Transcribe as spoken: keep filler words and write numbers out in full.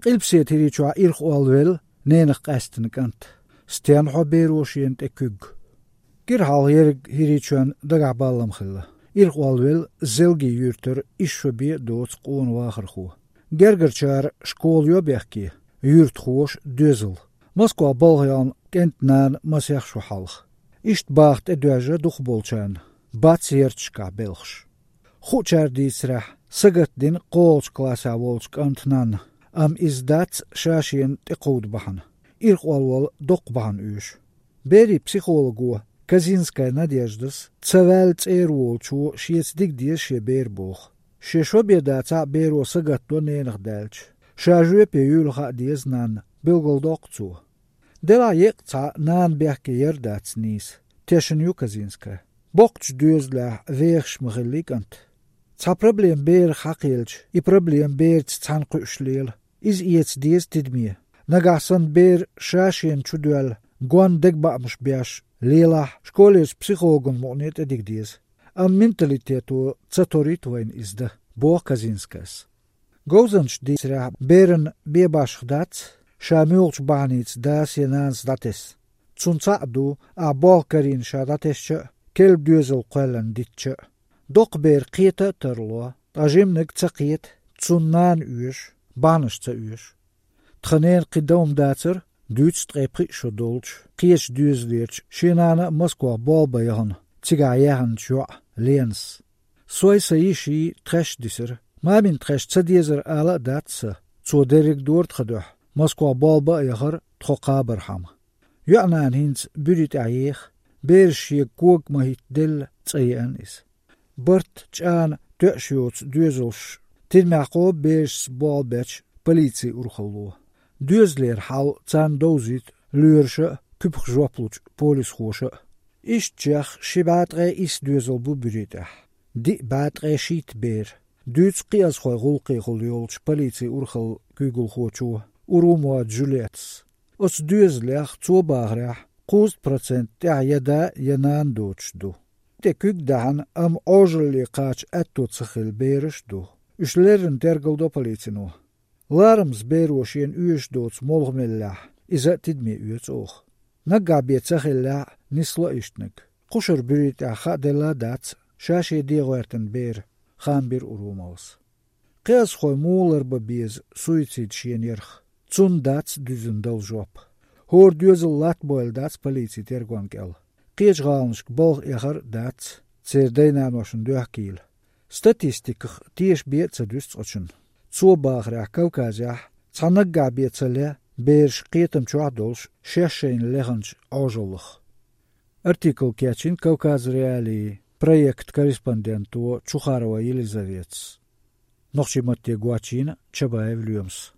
Qilpsiet hirichua irch alwel, nenig qastnikant. Stian hoberoshient ekug. Girhal herig hirichuan dagaballam khilla. Irch alwel zelgi yurter ishwabie doots qoon wagerchu. Gergerchar schooljo bechki. Yurt khoos deuzel. Moskwa Bolgan kent naan masjachshu halch. Isht bacht edwaje duchbolchan. Batsiertschka Belgs. Goedjaar dietsrach. Sagat din qoolch klasa wolch antnan. Am is dat shashien te qoud bahan. Irch alwal dok bahan ush. Beri psychologu Kazinskaya Nadezhdas tsavalt erwolchu shietsdik dies she beerboch. She shobiedaca bero sagatto nenig delch. Shajue pe yulcha dies nan bilgol dokzu. Dela yekca nan berke yerdats nis. Teshen yu Kazinskaya. Bokch duezla veerch mgelikant. Ca problem beer hakilch, I problem beer tsanku ushleel. Is iets dies tidmie. Nagasan beer shashien chuduel. Gwan degba mshbiash. Lela школе психологом monet edigdies. Am mentalitetu tsatoritwain is de Bo Kazinskayas. Gozanch disra beren bebash dats, shamulch banits das yenans dates. Tsuntsadu a balkarin shadatesche, kelb duzel qelan ditche. Dok ber qita terlo, tajimnik tsaqit, tsunnan uish, banish tsa uish. Tchanen qidom datser, Duits trepri shodolch, kies duizleerch, shinana Moskwa balbayan, tigayahan chua, leens. Soy saishi tresh disser, mamin tresh tsadiezer ala datsa, zo derig doort geduh, Moskwa balba yagar, trokaberham. Yuanan hins burit ayech, beershie kook mahit dil tsayan is. Bert chan tukshots duizelsh, tidmako beers balbech, politie urgelo. Duizleer hal zan dozit, luursche, kupgzwappelch, polischoosche. Is tjach, shibatre is duizel buburitach. Di batre shit beer. Duits kias goy rolke goljolch, politie urgel kugelgocho, urumoa Juliets. Os duizleer zobagrach, kost procent ja jada janaan doodsdo. Te kukdahan am ojeli kach ettotsachil beersdo. Us leren tergeldo politie no. Larms beroshien uish doods molgmillah, is het tidmi uits oog. Nagabiet zachilla nislo ishtnik. Kusher burit acha de la dats, shashi diewerten beer, gaan bir urumaus. Keas goy moler babies, suicid shien yerch. Tsun dats duzendal job. Hoor duzel latboil dats politie tergwankel. Kees galnsk bolg eger dats, zer deinaan was een duachkiel. Statistikig ties beet ze dus otschen. Zobagrach Kaukazach, Tsanagga Bietzele, Beers Ketem Chadolsh, Sheshin Leganch Ozolch. Artikel Kachin Kaukaz Reali, project correspondentu Chukharova Елизавец. Nochimate Guachin, Chabaev Lyums.